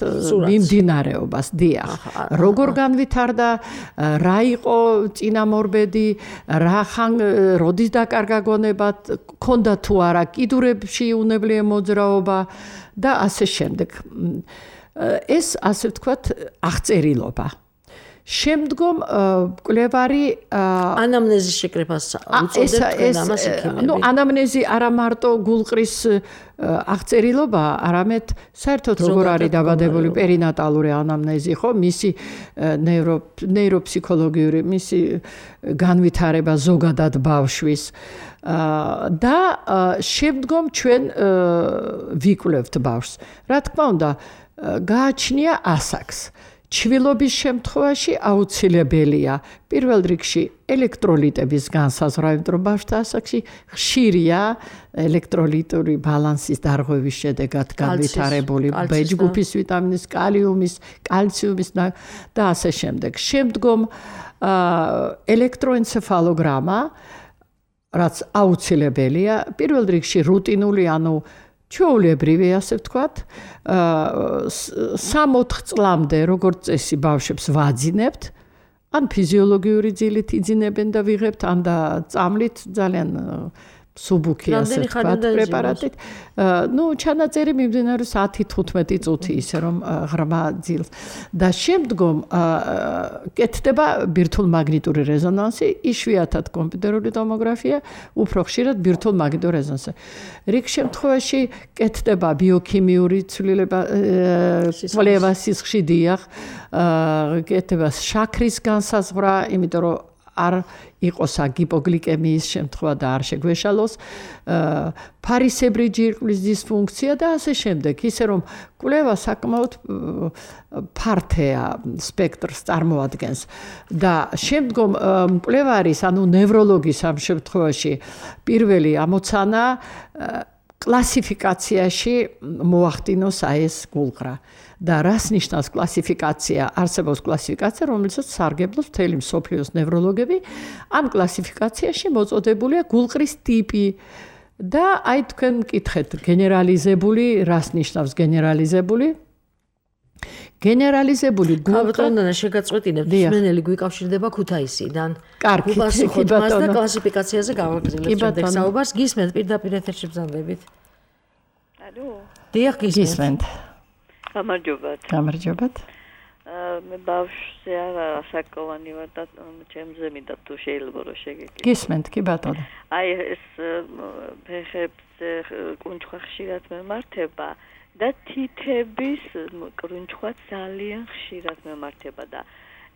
C: მიმდინარეობას, დიახ. როგორ განვითარდა, რა იყო წინამორბედი, რა ხან როდის დაკარგა გონება, ქონდა თუ არა კიდურებში უნებლიე მოძრაობა და ასე შემდეგ. ეს ასე ვთქვათ აღწერილობა. შემდგომ კვლევარი
B: ანამნეზის შეკრებას უწოდებთ ამას ექიმები.
C: ნუ ანამნეზი არა მარტო გულყრის აღწერილობა, არამედ საერთოდ როგორ არის დაბადებული პერინატალური ანამნეზი, ხო? მისი ნეირო ნეიროფსიქოლოგიური, მისი განვითარება ზოგადად ბავშვის და შემდგომ ჩვენ ვიკვლევთ ბავშვს. რა თქმა უნდა, გააჩნია ასაკს. ჩვილობის შემთხვევაში აუცილებელია პირველ რიგში ელექტროლიტების განსაზღვრა, იმიტომ რომ ბავშვთა ასაკში ხშირია ელექტროლიტური ბალანსის დარღვევის შედეგად განვითარებული ბეჯგუფის ვიტამინის, კალიუმის, კალციუმის და ასე შემდეგ. შემდგომ ელექტროენცეფალოგრამა, რაც აუცილებელია, პირველ რიგში რუტინული, ანუ ჩვეულებრივი, ასე ვთქვათ, სამ-ოთხ წლამდე, როგორც წესი, ბავშვებს ვაძინებთ, ან ფიზიოლოგიური ძილით იძინებენ და ვიღებთ, ან და წამლით ძალიან სუბუქი, ასე ვთქვათ, პრეპარატით. ნუ ჩანაწერი მიმდინარეობს ათი თუთხმეტი წუთი, ისე რომ ღრმა ძილს. და შემდგომ კეთდება ბირთვულ-მაგნიტური რეზონანსი, იშვიათად კომპიუტერული ტომოგრაფია, უფრო ხშირად ბირთვულ-მაგნიტური რეზონანსი. რიგ შემთხვევაში კეთდება ბიოქიმიური ცვლილება, კვლევა სისხლში, დიახ, კეთდება შაქრის განსაზღვრა, იმიტომ რომ არ იყოს ჰიპოგლიკემიის შემთხვევა და არ შეგვეშალოს, ფარისებრი ჯირკვლის დისფუნქცია და ასე შემდეგ. ისე რომ კვლევა საკმაოდ ფართეა სპექტრს წარმოადგენს და შემდგომ მკვლევარის, ანუ ნევროლოგის ამ შემთხვევაში პირველი ამოცანა კლასიფიკაციაში მოახდინოს აი ეს გულყრა. და რას ნიშნავს კლასიფიკაცია? არსებობს კლასიფიკაცია, რომელსაც სარგებლობს მთელი მსოფლიოს ნევროლოგები. ამ კლასიფიკაციაში მოწოდებულია გულყრის ტიპი და აი თქვენ მკითხეთ, გენერალიზებული, რას ნიშნავს გენერალიზებული? გენერალიზებული
B: გულყრა შეგაწყვეტინებთ, მსმენელი გვიკავშირდება ქუთაისიდან.
C: კარგი,
B: კი ბატონო. და კლასიფიკაციაზე გავაგრძელებთ შემდეგ საუბარს. გისმენთ პირდაპირ ეთერში ბრძანდებით.
E: ალო.
B: დიახ, გისმენთ.
E: გამარჯობათ.
C: გამარჯობათ.
E: მე ბავშვზე ასაკოვანი ვარ და ჩემზე მინდა თუ შეიძლება რომ შეგეკითხო.
C: გისმენთ, კი ბატონო.
E: აი ეს ფეხებზე კუნჩხვა ხშირად მემართება და თითების კუნჩხვა ძალიან ხშირად მემართება და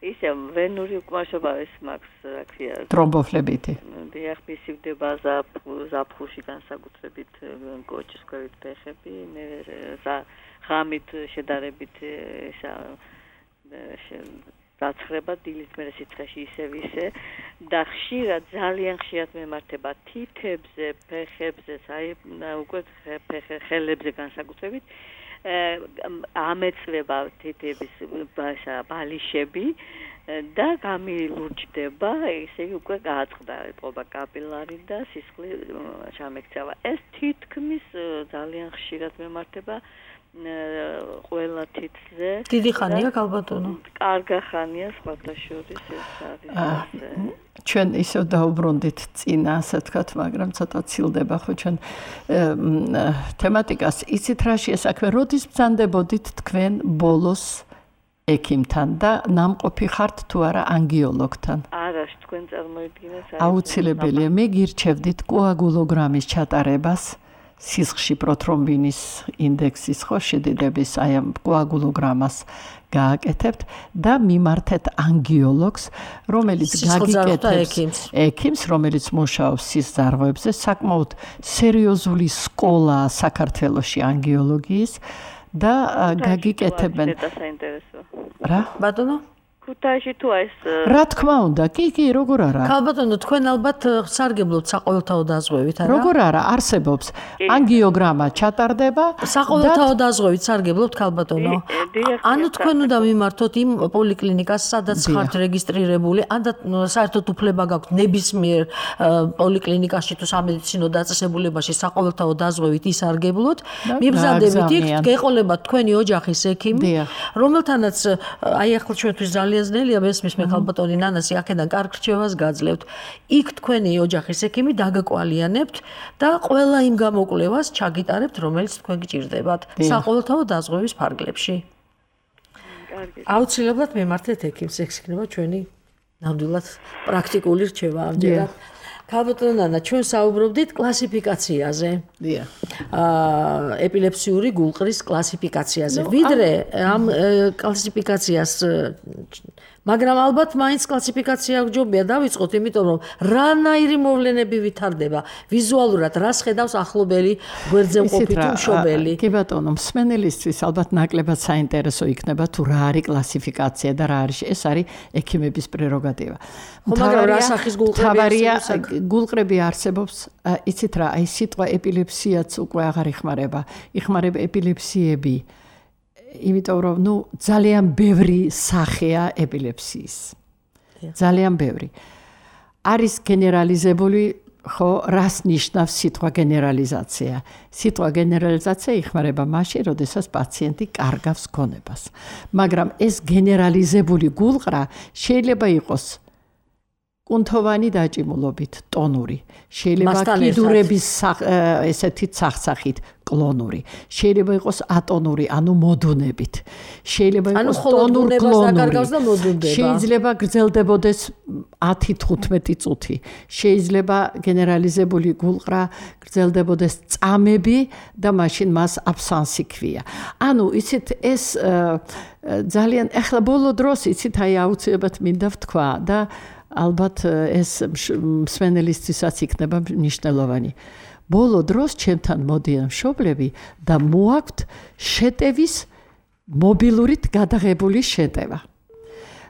F: ისე ვენური უკმაშობა ეს მაქვს, რა ქვია,
C: ტრომბოფლებითი.
F: დიახ, მისივდება ზაფხულში განსაკუთრებით კოჭის ქვევით ფეხები, ღამით შედარებით ესა დაცხრება დილის მერე სიცხეში ისევ ისე და ხშირად ძალიან ხშირად მემართება თითებზე, ფეხებზე, აი უკვე ხელებზე განსაკუთრებით ამეწვება თითების ბალიშები და გამილურჯდება, ესე იგი უკვე გააწყდა ყობა კაპილარი და სისხლი ჩამექცევა. ეს თითქმის ძალიან ხშირად მემართება ყველა თითზე.
B: დიდი ხანია ქალბატონო?
F: კარგი ხანია, სხვათა შორის ეს არის.
C: ჩვენ ისევ დაუბრუნდით წინა, ასე ვთქვათ, მაგრამ ცოტა ცილდება ხო ჩვენ თემატიკას. იცით რა შეესაქმე, როდის ბრძანდებოდით თქვენ ბოლოს ექიმთან და ნამყოფი ხართ თუ არა ანგიოლოგთან?
F: არა, თქვენ წარმოიდგინეთ.
C: აუცილებელია, მე გირჩევდით კოაგულოგრამის ჩატარებას. სისხლში პროთრომბინის ინდექსის ხო შედიდების აი ამ კოაგულოგრამას გააკეთებთ და მიმართეთ ანგიოლოგს, რომელიც გაგიკეთებს ექიმს, რომელიც მუშაობს სისხლძარღვებზე, საკმაოდ სერიოზული სკოლაა საქართველოში ანგიოლოგიის და გაგიკეთებენ. რა?
B: ბატონო?
F: ქუთაისში თუ ეს
C: რა თქმა უნდა, კი, კი, როგორ არა.
B: ქალბატონო, თქვენ ალბათ სარგებლობთ საყოველთაო დაზღვევით, არა?
C: როგორ არა, არსებობს. ანგიოგრამა ჩატარდება.
B: საყოველთაო დაზღვევით სარგებლობთ ქალბატონო? ანუ თქვენ უნდა მიმართოთ იმ პოლიკლინიკას, სადაც ხართ რეგისტრირებული, ან საერთოდ უფლება გაქვთ ნებისმიერ პოლიკლინიკაში თუ სამედიცინო დაწესებულებაში საყოველთაო დაზღვევით ისარგებლოთ. მიბრძანდებით იქ, გეყოლებათ თქვენი ოჯახის ექიმი, რომელთანაც აი ახლა ჩვენთვის ძალიან ზნელია მესმის მე ქალბატონი ნანასი აქედან კარგ რჩევას გაძლევთ. იქ თქვენი ოჯახის ექიმი დაგაკვალიანებთ და ყველა იმ გამოკვლევას ჩაგიტარებთ, რომელიც თქვენ გჭირდებათ საყოველთაო დაზღვევის ფარგლებში. აუცილებლად მემართეთ ექიმს, ეს იქნება ჩვენი ნამდვილად პრაქტიკული რჩევა ამჯერად. ქალბატონო ნანა, ჩვენ საუბრობდით კლასიფიკაციაზე.
C: დიახ.
B: აა ეპილეფსიური გულყრის კლასიფიკაციაზე. ვიდრე ამ კლასიფიკაციას მაგრამ ალბათ მაინც კლასიფიკაცია გჯობია დავიწყოთ, იმიტომ რომ რანაირი მოვლენები ვითარდება ვიზუალურად, რას ხედავს ახლობელი გვერდზე მყოფი თუ მშობელი.
C: კი ბატონო, მსმენელისთვის ალბათ ნაკლებად საინტერესო იქნება თუ რა არის კლასიფიკაცია და რა არის ეს არის ექიმების პრეროგატივა.
B: მაგრამ რა სახის გულყრები
C: გულყრები არსებობს, იცით რა, აი სიტყვა ეპილეფსიაც უკვე აღარ იხმარება. იხმარება ეპილეფსიები. იმიტომ რომ ნუ ძალიან ბევრი სახეა ეპილეფსიის. ძალიან ბევრი. არის გენერალიზებული, ხო, რას ნიშნავს სიტყვა გენერალიზაცია? სიტყვა გენერალიზაცია იხმარება მაშინ, როდესაც პაციენტი კარგავს გონებას. მაგრამ ეს გენერალიზებული გულყრა შეიძლება იყოს კუნთოვანი დაჭიმულობით, ტონური, შეიძლება კიდურების ესეთი სახსახით, კლონური, შეიძლება იყოს ატონური, ანუ მოდუნებით, შეიძლება იყოს ტონურ კლონური, შეიძლება გრძელდებოდეს ათი თხუთმეტი წუთი, შეიძლება გენერალიზებული გულყრა გრძელდებოდეს წამები და მაშინ მას აბსანსი ქვია. ანუ იცით ეს ძალიან ახლა ბოლო დროს იცით აი აუცილებლად მინდა ვთქვა და ალბათ ეს მსმენელისთვისაც იქნება მნიშვნელოვანი. ბოლო დროს ჩემთან მოდიან მშობლები და მოაქვთ შეტევის მობილურით გადაღებული შეტევა.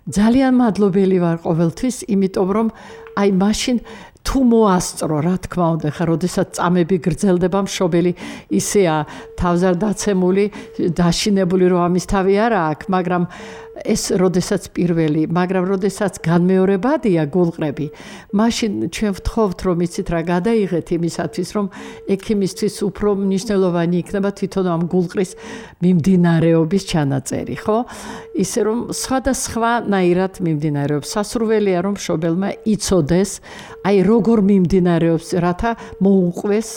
C: ძალიან მადლობელი ვარ ყოველთვის, იმიტომ რომ აი მაშინ თუ მოასწრო, რა თქმა უნდა, ხა როდესაც წამები გრძელდება მშობელი ისეა თავზარდაცემული, დაშინებული რომ ამის თავი არა აქვს, მაგრამ ეს როდესაც პირველი, მაგრამ როდესაც განმეორებადია გულყრები, მაშინ ჩვენ ვთხოვთ რომ იცით რა გადაიღეთ იმისათვის რომ ექიმისთვის უფრო მნიშვნელოვანი იქნება თვითონ ამ გულყრის მიმდინარეობის ჩანაწერი, ხო? ისე რომ სხვადასხვანაირად მიმდინარეობს. სასურველია რომ მშობელმა იცოდეს, აი როგორ მიმდინარეობს, რათა მოუყვეს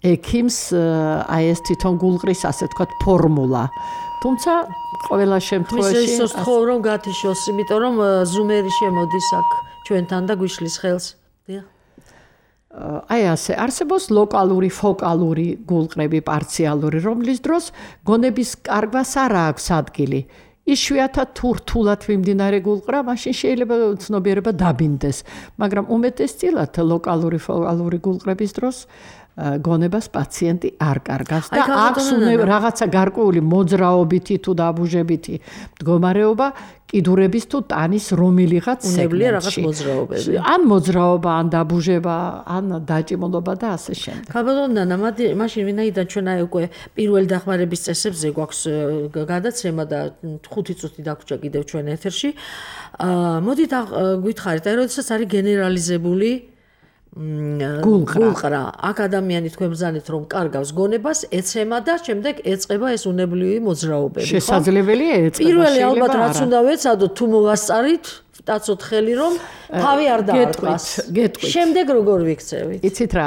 C: ექიმს აი ეს თვითონ გულყრის ასე ვთქვათ ფორმულა. თუმცა ყველა შემთხვევაში
B: ის ის თხოვ რომ გათიშოს, იმიტომ რომ ზუმერი შემოდის აქ ჩვენთან და გვიშლის ხელს. დიახ.
C: აი ასე არსებობს ლოკალური, ფოკალური გულყრები, პარციალური, რომლის დროს გონების კარგვას არ აქვს ადგილი. იშვიათად თუ რთულად მიმდინარე გულყრა, მაშინ შეიძლება ცნობიერება დაბინდეს, მაგრამ უმეტესწილად ლოკალური ფოკალური გულყრების დროს გონებას პაციენტი არ კარგავს და აქვს რაღაცა გარკვეული მოძრაობითი თუ დაბუჟებითი მდგომარეობა კიდურების თუ ტანის რომელიღაც სეგმენტში. ან მოძრაობა, ან დაბუჟება, ან დაჭიმულობა და ასე შემდეგ.
B: ხაბადონანა, მაშინ ვინაიდან ჩვენ აი უკვე პირველი დახმარების წესებზე გვაქვს გადაცემა და ხუთი წუთი დაგვრჩა კიდევ ჩვენ ეთერში. მოდით გითხარით, აი როდესაც არის გენერალიზებული გულყრა. აქ ადამიანი თქვენ ბრძანეთ რომ კარგავს გონებას, ეცემა და შემდეგ ეწყება ეს უნებლივი მოძრაობები.
C: შესაძლებელია ეწყება.
B: პირველი ალბათ რაც უნდა ვეცადოთ, თუ მოვასწარით, ვტაცოთ ხელი რომ თავი არ დაარტყას. შემდეგ როგორ ვიქცევით?
C: იცით რა,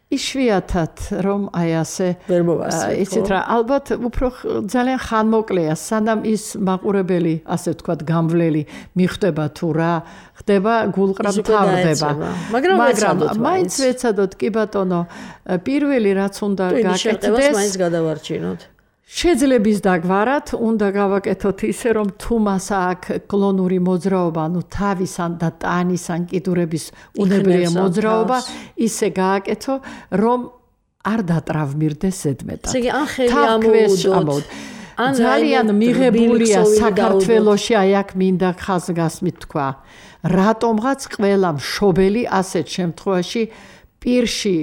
C: იშვიათად რომ აი ასე
B: ვერ მოვასწრეთ.
C: იცით რა, ალბათ უფრო ძალიან ხანმოკლეა, სანამ ის მაყურებელი, ასე ვთქვათ, გამვლელი მიხვდება თუ რა ხდება, გულყრა მთავრდება.
B: მაგრამ
C: მაინც ვეცადოთ, კი ბატონო, პირველი რაც უნდა გაკეთდეს,
B: მაინც გადავარჩინოთ.
C: შეძლების დაგვარად უნდა გავაკეთოთ ისე რომ თუ მას აქვს კლონური მოძრაობა, ანუ თავის ან და ტანის ან კიდურების უნებლიე მოძრაობა, ისე გააკეთო, რომ არ დატრავმირდეს ზედმეტად.
B: ესე იგი, ან ხელი ამოუდოთ.
C: ძალიან მიღებულია საქართველოში, აი აქ მინდა ხაზგასმით თქვა, რატომღაც ყველა მშობელი ასეთ შემთხვევაში პირში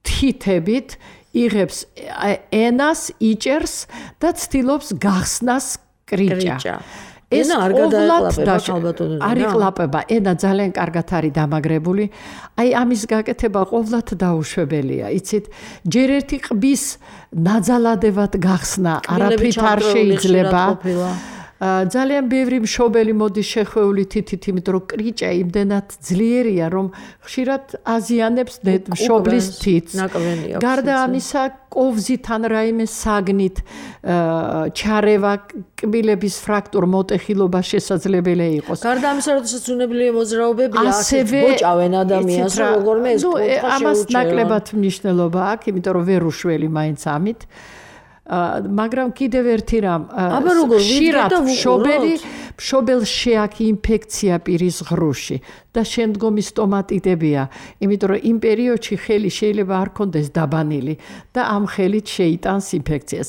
C: თითებით იღებს ენას, იჭერს და ცდილობს გახსნას კრიჭა.
B: ეს არ გადაეყლაპება ალბათოდ.
C: არ იყლაპება, ენა ძალიან კარგად არის დამაგრებული. აი ამის გაკეთება ყოვლად დაუშვებელია. იცით, ჯერ ერთი ყბის ნაძალადებად გახსნა არაფრით არ შეიძლება. ძალიან ბევრი მშობელი მოდის შეხვეული თითით, იმიტომ რომ კრიჭა იმდენად ძლიერია, რომ ხშირად აზიანებს მშობლის თითს. გარდა ამისა, კოვზით ან რაიმე საგნით ჩარევა, კბილების ფრაქტურ მოტეხილობა შესაძლებელია იყოს.
B: გარდა ამისა, როდესაც უნებლიე მოძრაობებია, ასეთ ბოჭავენ ადამიანს, როგორმე ეს კუთხე შეუჩერონ.
C: ამას ნაკლებად მნიშვნელობა აქვს, იმიტომ რომ ვერ უშველი მაინც ამით. მაგრამ კიდევ ერთი რამ, ხშირად მშობელი მშობელს შეაქვს ინფექცია პირის ღრუში და შემდგომი სტომატიტებია, იმიტომ რომ იმ პერიოდში ხელი შეიძლება არ კონდეს დაბანილი და ამ ხელით შეიტანს ინფექციას.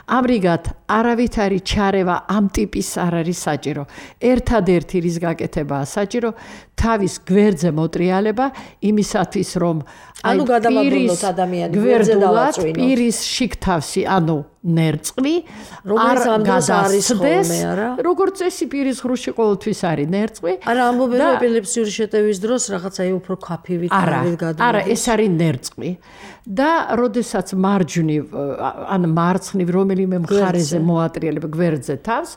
C: ამრიგად, არავითარი ჩარევა ამ ტიპის არ არის საჭირო. ერთადერთი რის გაკეთებაა საჭირო, თავის გვერდზე მოტრიალება, იმისათვის რომ
B: ანუ გადავაბრუნოთ ადამიანი გვერდზე დავაწვინოთ.
C: პირის შიგთავსი, ანუ ნერწყვი
B: რომელიც ამ დროს არის ხოლმე, არა?
C: როგორც წესი პირის ღრუში ყოველთვის არის ნერწყვი.
B: არა, ამბობენ რომ ეპილეფსიური შეტევის დროს რაღაცა უფრო ქაფივით არის გადმოდის.
C: არა, ეს არის ნერწყვი. და როდესაც მარჯვნივ ან მარცხნივ რომელიმე მხარეზე მოატრიალებ გვერდზე თავს,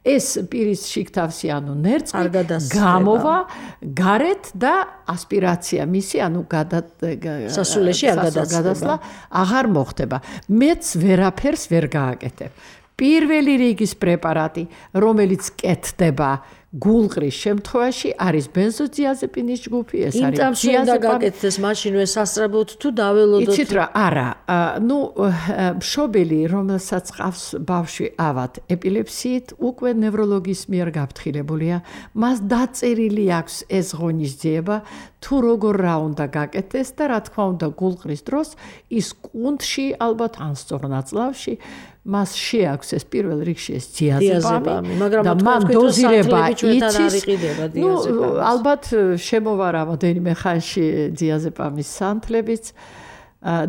C: ეს პირის შიგთავსი, ანუ ნერწყვი გამოვა გარეთ და ასპირაცია მისი, ანუ
B: სასულეში არ
C: გადასვლა აღარ მოხდება. მეც ვერაფერს ვერ გააკეთებ. პირველი რიგის პრეპარატი, რომელიც კეთდება გულყრის შემთხვევაში, არის ბენზოდიაზეპინის ჯგუფი, ეს არის
B: დიაზეპამი. იმ უნდა გაკეთდეს მაშინვე სასწრაფოდ თუ დაველოდოთ.
C: იცით რა, არა, ნუ მშობელი, რომელსაც ყავს ბავშვი ავად ეპილეფსიით, უკვე ნევროლოგის მიერ გაფრთხილებულია, მას დაწერილი აქვს ეს ღონისძიება, თუ როგორ რა უნდა გაკეთდეს და რა თქმა უნდა გულყრის დროს ის კუნთში ალბათ ან სწორ ნაწლავში მას შეაქვს ეს პირველ რიგში ეს დიაზეპამი,
B: მაგრამ
C: მან დოზირება იცის. ნუ ალბათ შემოვა რამოდენიმე ხანში დიაზეპამის სანთლებიც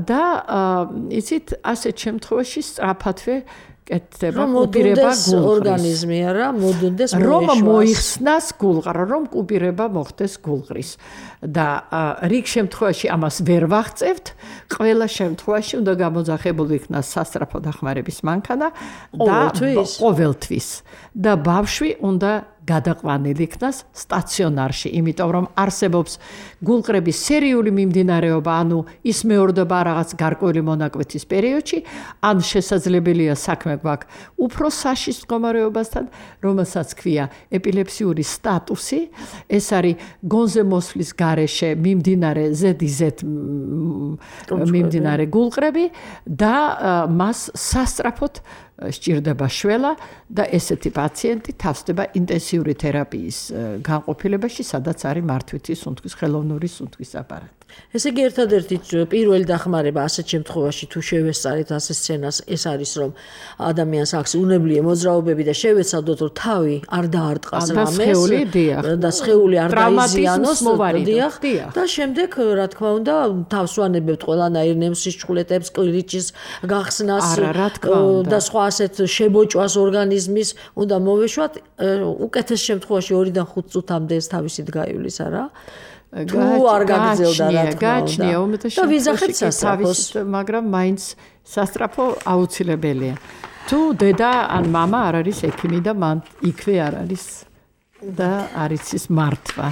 C: და იცით ასეთ შემთხვევაში სწრაფადვე კეთდება კუპირება გულყრის
B: ორგანიზმი არა მოდუნდეს
C: რომ მოიხსნას გულყრა, რომ კუპირება მოხდეს გულყრის და რიგ შემთხვევაში ამას ვერ ვაღწევთ, ყველა შემთხვევაში უნდა გამოძახებული იქნას სასწრაფო დახმარების მანქანა და ყოველთვის და ბავშვი უნდა გადაყვანილი იქნას სტაციონარში, იმიტომ რომ არსებობს გულყრების სერიული მიმდინარეობა, ანუ ის მეორდება რაღაც გარკვეული მონაკვეთის პერიოდში, ან შესაძლებელია საქმე გვაქვს უფრო საშიშ მდგომარეობასთან, რომელსაც ქვია ეპილეფსიური სტატუსი, ეს არის გონზე მოსვლის გარეშე მიმდინარე ზედიზედ მიმდინარე გულყრები და მას სასწრაფოდ სჭირდება შველა და ესეთი პაციენტი თავსდება ინტენსიური თერაპიის განყოფილებაში, სადაც არის მართვითი სუნთქვის ხელოვნური სუნთქვის აპარატი.
B: ესე იგი ერთადერთი პირველი დახმარება ასეთ შემთხვევაში თუ შევესწარით ასე სცენას ეს არის რომ ადამიანს აქვს უნებლიე მოძრაობები და შევეცადოთ რომ თავი არ დაარტყას რამეს და სხეული არ დაიზიანოს და შემდეგ რა თქმა უნდა თავს ვანებებთ ყველანაირ ნემსისჩხულეთებს, კლირიჩის გახსნას და სხვა ასეთ შებოჭვას ორგანიზმის უნდა მოვეშვათ უკეთეს შემთხვევაში ორიდან ხუთ წუთამდე ეს თავისით გაივლის არა თუ არ გაგრძელდა რა თქმა უნდა და ვიზახეთ სასწრაფოს
C: მაგრამ მაინც სასწრაფო აუცილებელია თუ დედა ან მამა არ არის ექიმი და მან იქვე არ არის და არ იცის მართვა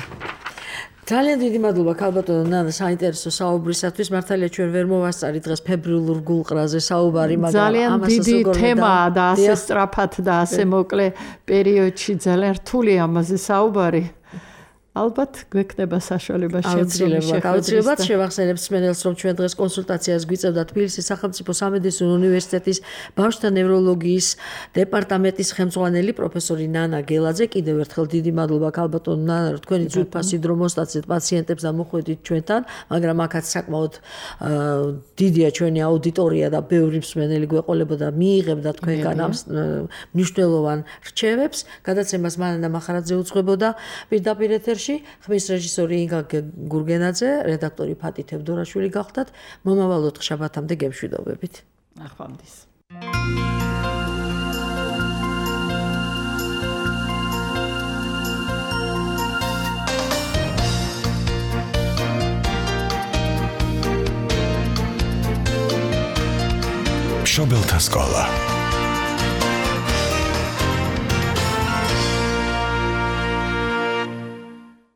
B: ძალიან დიდი მადლობა ქალბატონო ნანა საინტერესო საუბრისათვის მართალია ჩვენ ვერ მოვასწარით დღეს ფებრილურ გულყრაზე საუბარი მაგრამ
C: ძალიან დიდი თემაა და ასე სწრაფად და ასე მოკლე პერიოდში ძალიან რთული ამაზე საუბარი ალბათ გვექნება საშუალება
B: შეძლებელია. აუცილებლად შევახსენებ მსმენელს, რომ ჩვენ დღეს კონსულტაციას გვიწევდა თბილისის სახელმწიფო სამედიცინო უნივერსიტეტის ბავშვთა ნევროლოგიის დეპარტამენტის ხელმძღვანელი პროფესორი ნანა გელაძე. კიდევ ერთხელ დიდი მადლობა ქალბატონო ნანა, რომ თქვენი ძვირფასი დრო მოსტაცეთ პაციენტებს და მოხვედით ჩვენთან, მაგრამ აქაც საკმაოდ დიდია ჩვენი აუდიტორია და ბევრი მსმენელი გვეყოლებოდა მიიღებდა თქვენგან ამ მნიშვნელოვან რჩევებს. გადაცემას მანანა მახარაძე უძღვებოდა პირდაპირ ეთერში. ხმის რეჟისორი ინგა გურგენაძე, რედაქტორი ფატი თევდორაშვილი გახდათ. მომავალ ოთხშაბათამდე გემშვიდობებით.
C: ნახვამდის.
G: მშობელთა სკოლა